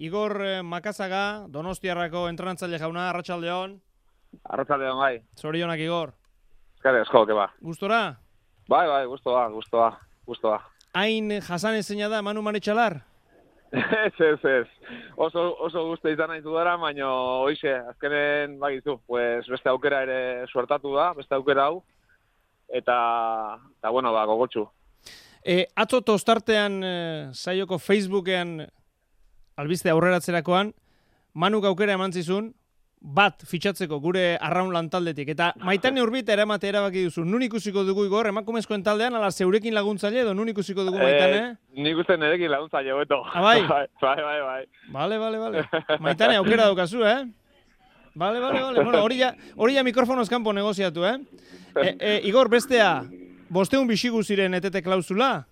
Igor Makazaga, Donostiarrako entrenatzaile jauna, arratsaldeon. Arratsaldeon bai. Zorionak Igor. Eskerrik asko, ke ba. Gustora? Bai, gustoa. Hain jasan ezina da Manu Maretxalar? Ez. Oso gustu izan nahi dudara, baina hoize, azkenen bagizu, pues beste aukera ere suertatu da, beste aukera hau. Eta bueno, gogotsu. Atzo tostartean saioko Facebookean albiste aurreratzerakoan, Manuk aukera eman zizun, bat fitxatzeko gure arraun lantaldetik. Eta Maitane Urbita eramate erabaki duzu. Nun ikusiko dugu Igor, emakumezkoen taldean, ala zeurekin laguntzaile edo nun ikusiko dugu Maitane? Nik uste nerekin laguntzaile beto. Bai? Bai. Bale. Maitane aukera daukazu, Bale. Bueno, hori ja mikrofonoz kanpo negoziatu, Igor, bestea, 500 bizigu ziren etete klausula?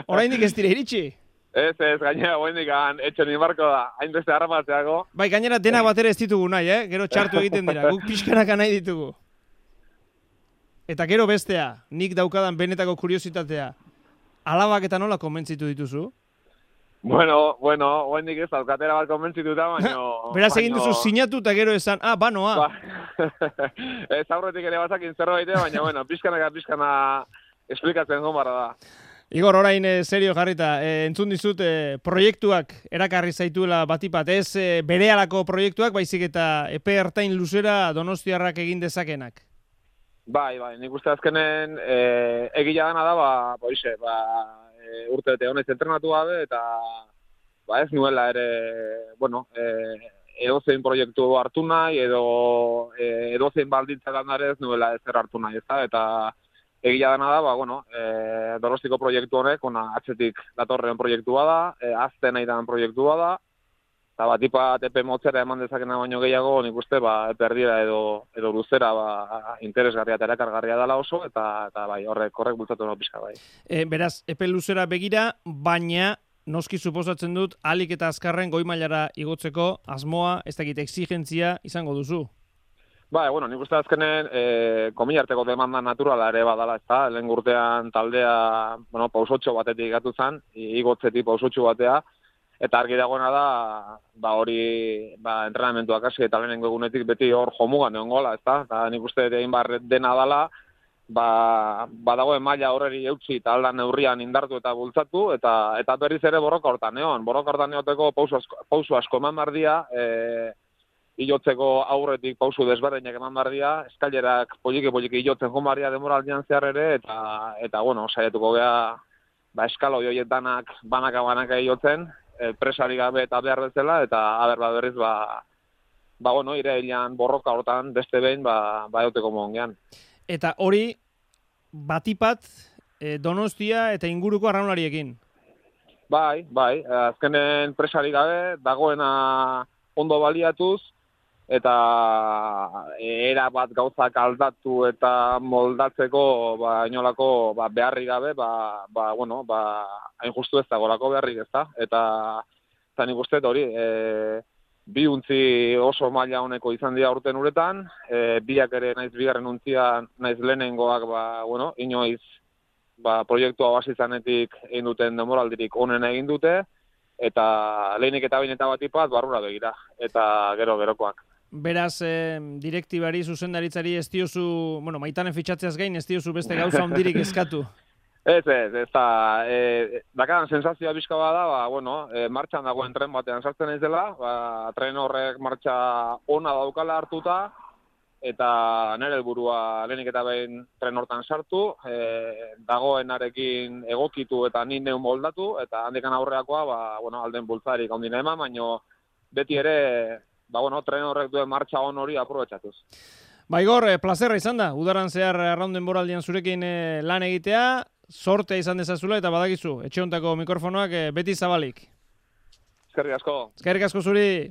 Oraindik ez dira iritsi? Ez, gainera, oraindik etxe ni marko da, hainbeste harramatzeako. Bai, gainera dena bat ere ez ditugu nahi, Gero txartu egiten dira, guk pixkanaka nahi ditugu. Eta gero bestea, nik daukadan benetako kuriositatea, alabak eta nola konbentzitu dituzu? Bueno, oraindik ez daukatera bat konbentzituta, baina... Beraz egin duzu sinatu eta gero esan, banoa. Ez aurretik ere bazakin zerbait, baina, bueno, pixkana esplikatzen gombarra da. Igor, orain serio jarrita, entzun dizut proiektuak erakarri zaituela batipat, ez berehalako proiektuak, baizik eta epe ertain luzera Donostiarrak egin dezakenak. Bai, nik uste azkenen egila dana da, urte bete honez entrenatu gabe, eta ez nuela ere, edozein proiektu hartu nahi, edozein baldintza gandarez nuela ezer hartu nahi, eta egia dena da, Donostiko proiektu honek, atzetik datorren proiektua da, azten nahi dan proiektua da, eta batipat epe motzera eman dezakena baino gehiago, nik uste, epe erdira edo luzera interesgarria eta erakargarria dela oso, eta horrek bultzatu no pixka bai. Beraz, epe luzera begira, baina noski suposatzen dut, alik eta azkarren goi mailara igotzeko asmoa, ez dakit, exigentzia izango duzu. Nik uste azkenen komilarteko demanda naturala ere badala, ezta? Lehen urtean taldea, pausotxo batetik gatu zen, igotzetik pausotxo batea, eta argi dagoena da, hori entrenamentuak hasi eta lehenengo egunetik beti hor jomugan egon gola, ezta? Eta nik uste egin dena dela, dagoen maila horreri eutxi eta aldan neurrian indartu eta bultzatu, eta berriz ere borroka hortan egon. Borroka hortan eoteko pausu asko eman bardia, ilotzeko aurretik pausu desberdinak eman bardia, eskailerak poliki ilotzen joan bardia demoraldian zehar ere, eta saietuko geha, eskalo joiet danak banaka ilotzen, presari gabe eta behar bezala, eta berriz, irailean borroka hortan beste behin, euteko mongean. Eta hori, batipat, Donostia eta inguruko arraunlariekin? Bai, azkenen presari gabe, dagoena ondo baliatuz, eta era bat gauzak aldatu eta moldatzeko inolako beharrik gabe, hain justu ez dagolako beharrik ez da. Eta nik uste hori, bi untzi oso maila honeko izan dira urten uretan, biak ere naiz bigarren untzia, naiz lehenengoak, inoiz proiektua basizanetik egin duten demoraldirik onena egin dute, eta lehenik eta bain eta batipat barrura begira, eta gerokoak. Beraz, direktibari, zuzendaritzari ez diozu, Maitane fitxatzeaz gain, ez diozu beste gauza ondirik eskatu? Ez da, dakadan sensazioa bizka bada, martxan dagoen tren batean sartzen naiz dela, tren horrek martxa ona daukala hartuta, eta nire helburua lehenik eta behin tren hortan sartu, dagoenarekin egokitu eta ni neun moldatu, eta handikan aurreakoa, alden bultzarik ondina eman, baina beti ere, tren horrek duen martxa on hori aprobetxatuz. Igor, plazerra izan da, udaran zehar arraunden boraldian zurekin lan egitea, sortea izan dezazula eta badakizu, etxe hontako mikrofonoak beti zabalik. Eskerrik asko. Eskerrik asko zuri.